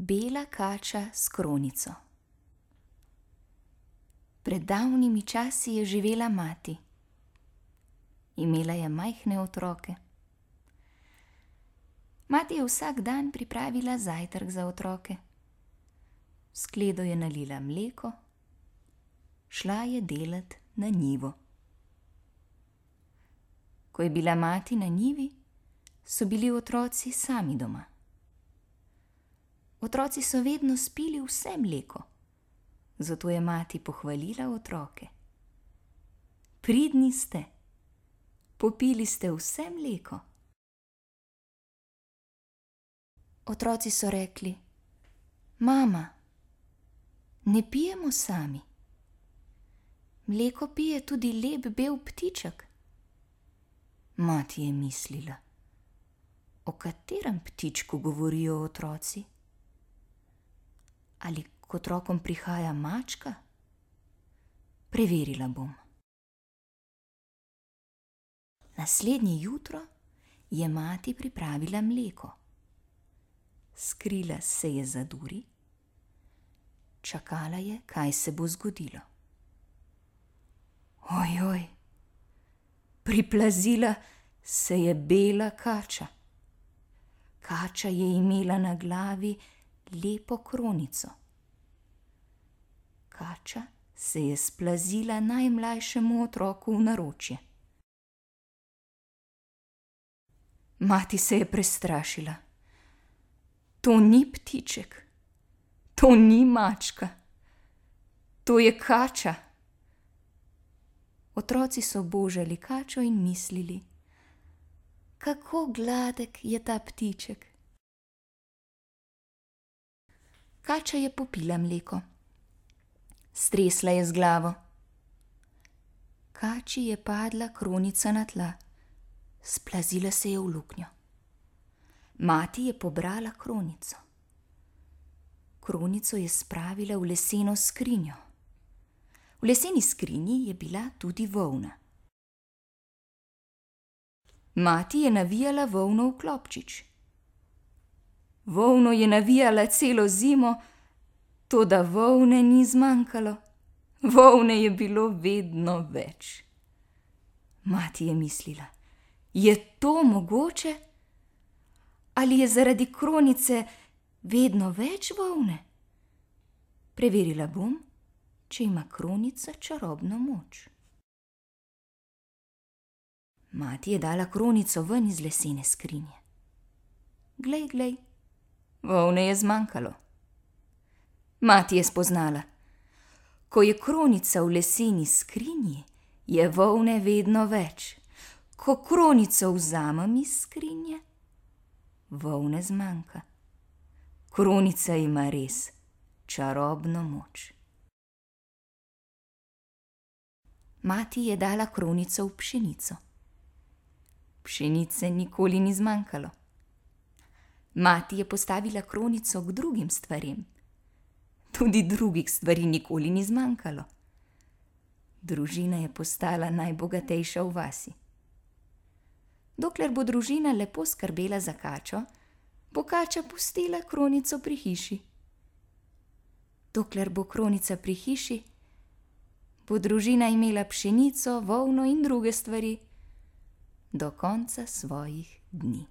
Bela kača s kronico. Pred davnimi časi je živela mati. Imela je majhne otroke. Mati je vsak dan pripravila zajtrk za otroke. V skledo je nalila mleko, šla je delat na njivo. Ko je bila mati na njivi, so bili otroci sami doma. Otroci so vedno spili vse mleko, zato je mati pohvalila otroke. Pridni ste, popili ste vse mleko. Otroci so rekli: Mama, ne pijemo sami. Mleko pije tudi lep bel ptiček. Mati je mislila: o katerem ptičku govorijo otroci? Ali k otrokom prihaja mačka? Preverila bom. Naslednje jutro je mati pripravila mleko. Skrila se je za duri, čakala je, kaj se bo zgodilo. Ojoj, priplazila se je bela kača. Kača je imela na glavi lepo kronico. Kača se je splazila najmlajšemu otroku v naročje. Mati se je prestrašila. To ni ptiček, to ni mačka, to je kača. Otroci so božali kačo in mislili: kako gladek je ta ptiček. Kača je popila mleko. Stresla je z glavo. Kači je padla kronica na tla. Splazila se je v luknjo. Mati je pobrala kronico. Kronico je spravila v leseno skrinjo. V leseni skrinji je bila tudi volna. Mati je navijala volno v klobčič. Volno je navijala celo zimo, toda volne ni zmanjkalo. Volne je bilo vedno več. Mati je mislila: je to mogoče? Ali je zaradi kronice vedno več volne? Preverila bom, če ima kronica čarobno moč. Mati je dala kronico ven iz lesene skrinje. Glej, glej, volne je zmanjkalo. Mati je spoznala: ko je kronica v leseni skrinji, je volne vedno več. Ko kronico vzamem iz skrinje, volne zmanjka. Kronica ima res čarobno moč. Mati je dala kronico v pšenico. Pšenice nikoli ni zmanjkalo. Mati je postavila kronico k drugim stvarem. Tudi drugih stvari nikoli ni zmanjkalo. Družina je postala najbogatejša v vasi. Dokler bo družina lepo skrbela za kačo, bo kača pustila kronico pri hiši. Dokler bo kronica pri hiši, bo družina imela pšenico, volno in druge stvari do konca svojih dni.